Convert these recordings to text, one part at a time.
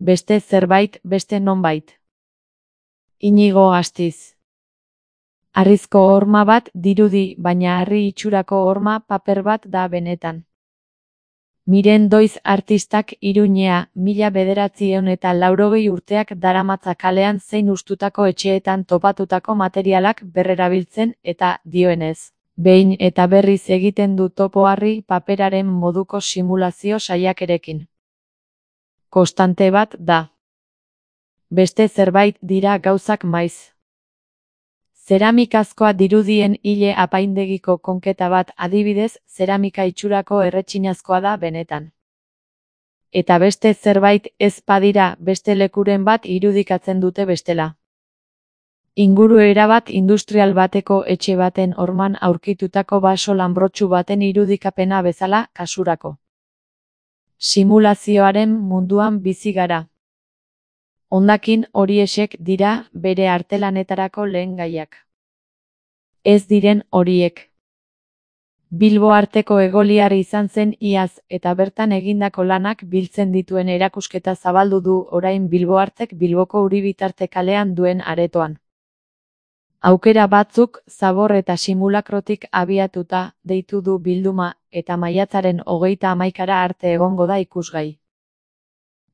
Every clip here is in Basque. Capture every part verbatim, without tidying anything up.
Beste zerbait, beste nonbait. Inigo Astiz. Harrizko horma bat dirudi, baina harri itxurako horma paper bat da benetan. Miren Doiz artistak Iruñea, mila bederatziehun eta laurogei urteak daramatza kalean zein hustutako etxeetan topatutako materialak berrerabiltzen eta, dioenez, behin eta berriz egiten du topo harri paperaren moduko simulazio saiakerekin. Konstante bat da. Beste zerbait dira gauzak maiz. Zeramikazkoa dirudien hile apaindegiko konketa bat adibidez, zeramika itxurako erretxinazkoa da benetan. Eta beste zerbait ez badira beste lekuren bat irudikatzen dute bestela. Inguru erabat industrial bateko etxe baten horman aurkitutako baso lanbrotsu baten irudikapena bezala kasurako. Simulazioaren munduan bizi gara. Hondakin horiexek dira bere artelanetarako lehen gaiak. Ez diren horiek. Bilbo arteko egoliar izan zen iaz eta bertan egindako lanak biltzen dituen erakusketa zabaldu du orain Bilbo artek Bilboko Uribitarte kalean duen aretoan. Aukera batzuk zabor eta simulakrotik abiatuta deitu du bilduma eta maiatzaren hogeita hamaikara arte egongo da ikusgai.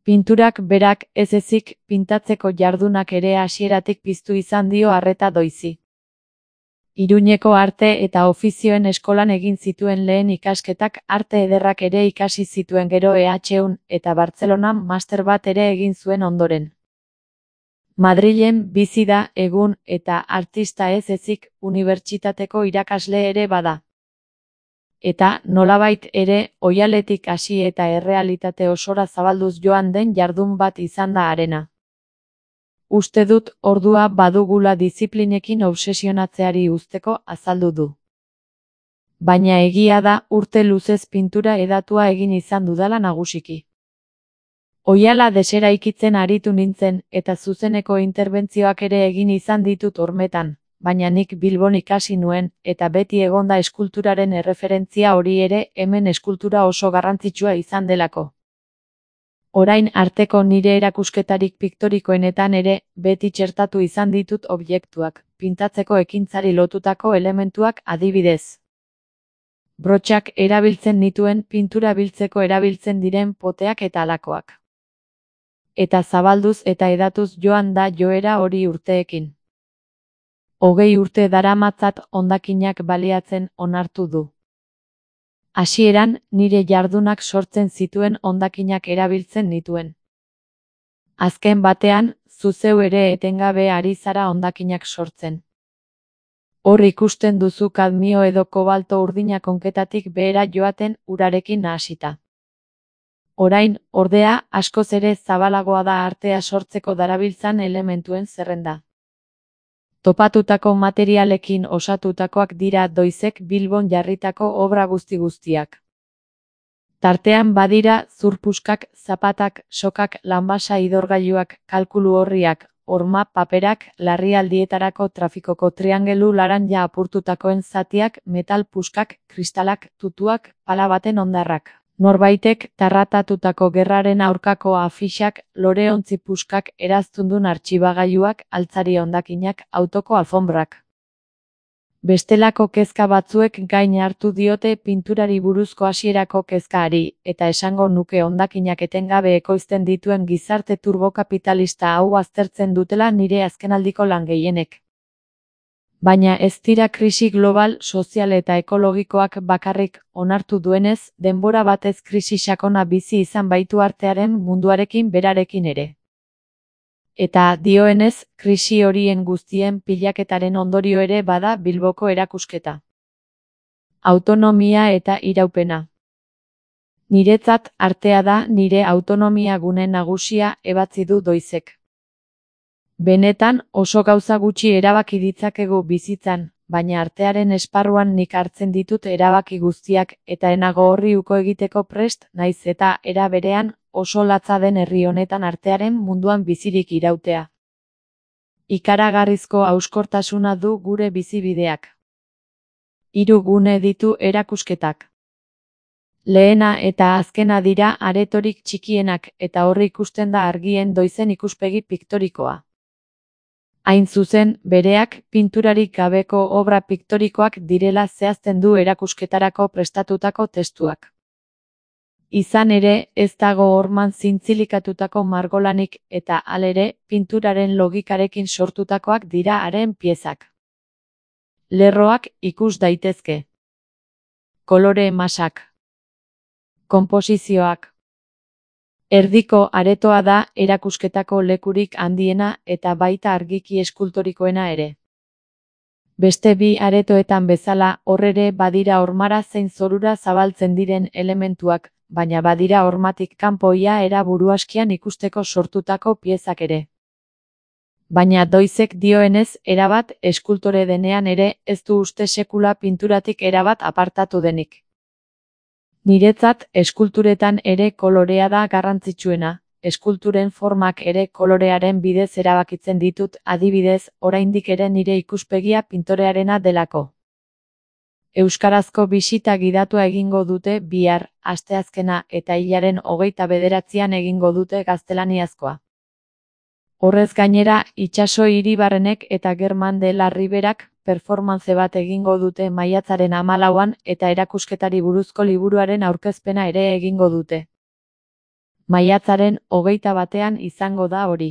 Pinturak berak ez ezik pintatzeko jardunak ere hasieratik piztu izan dio arreta Doizi. Iruñeko arte eta ofizioen eskolan egin zituen lehen ikasketak arte ederrak ere ikasi zituen gero E H un eta Bartzelonan master bat ere egin zuen ondoren. Madrilen bizi da egun eta artista ez ezik unibertsitateko irakasle ere bada. Eta, nolabait ere, oihaletik hasi eta errealitate osora zabalduz joan den jardun bat izan da harena. Uste dut ordua badugula diziplinekin obsesionatzeari uzteko azaldu du. Baina egia da urte luzez pintura edatua egin izan dudala nagusiki. Oihala deseraikitzen aritu nintzen eta zuzeneko interbentzioak ere egin izan ditut hormetan. Baina nik Bilbon ikasi nuen, eta beti egonda eskulturaren erreferentzia hori ere hemen eskultura oso garrantzitsua izan delako. Orain arteko nire erakusketarik piktorikoenetan ere, beti txertatu izan ditut objektuak, pintatzeko ekintzari lotutako elementuak adibidez. Brotxak erabiltzen nituen pintura biltzeko erabiltzen diren poteak eta halakoak. Eta zabalduz eta edatuz joan da joera hori urteekin. Hogei urte daramatzat hondakinak baliatzen onartu du. Hasieran, nire jardunak sortzen zituen hondakinak erabiltzen nituen. Azken batean, zuzeu ere etengabe ari zara hondakinak sortzen. Hor ikusten duzu kadmio edo kobalto urdina konketatik behera joaten urarekin nahasita. Orain, ordea, askoz ere zabalagoa da artea sortzeko darabiltzan elementuen zerrenda. Topatutako materialekin osatutakoak dira Doizek Bilbon jarritako obra guzti guztiak. Tartean badira zurpuskak, zapatak, sokak, lanbasa idorgailuak, kalkulu orriak, horma paperak, larrialdietarako trafikoko triangelu laranja apurtutakoen zatiak, metal puskak, kristalak, tutuak, pala baten hondarrak. Norbaitek tarratatutako gerraren aurkako afixak, loreontzi puskak, eraztundun artxibagailuak, altzari hondakinak, autoko alfombrak. Bestelako kezka batzuek gain hartu diote pinturari buruzko hasierako kezkari, eta esango nuke hondakinak etengabe ekoizten dituen gizarte turbokapitalista hau aztertzen dutela nire azkenaldiko lan gehienek. Baina ez dira krisi global, sozial eta ekologikoak bakarrik onartu duenez, denbora batez krisi sakona bizi izan baitu artearen munduarekin berarekin ere. Eta dioenez, krisi horien guztien pilaketaren ondorio ere bada Bilboko erakusketa. Autonomia eta iraupena. Niretzat artea da nire autonomia gune nagusia ebatzi du Doizek. Benetan oso gauza gutxi erabaki ditzakegu bizitzan, baina artearen esparruan nik hartzen ditut erabaki guztiak eta enago horri uko egiteko prest naiz eta era berean oso latza den herri honetan artearen munduan bizirik irautea. Ikaragarrizko hauskortasuna du gure bizibideak. Hiru gune ditu erakusketak. Lehena eta azkena dira aretorik txikienak eta horri ikusten da argien doizen ikuspegi piktorikoa. Hain zuzen, bereak pinturarik gabeko obra piktorikoak direla zehazten du erakusketarako prestatutako testuak. Izan ere, ez dago horman zintzilikatutako margolanik eta halere, pinturaren logikarekin sortutakoak dira haren piezak. Lerroak ikus daitezke. Kolore masak. Konposizioak. Erdiko aretoa da erakusketako lekurik handiena eta baita argiki eskultorikoena ere. Beste bi aretoetan bezala hor ere badira hormara zein zorura zabaltzen diren elementuak, baina badira hormatik kanpo ia era buruaskian ikusteko sortutako piezak ere. Baina doizek dioenez erabat eskultore denean ere ez du uste sekula pinturatik erabat apartatu denik. Niretzat eskulturetan ere kolorea da garrantzitsuena, eskulturen formak ere kolorearen bidez erabakitzen ditut, adibidez, oraindik ere nire ikuspegia pintorearena delako. Euskarazko bisita gidatua egingo dute bihar, asteazkena eta hilaren hogeita bederatzian egingo dute gaztelaniazkoa. Horrez gainera, Itsaso Iribarrenek eta Germán de la Riberak performance bat egingo dute maiatzaren hamalauan eta erakusketari buruzko liburuaren aurkezpena ere egingo dute. Maiatzaren hogeita batean izango da hori.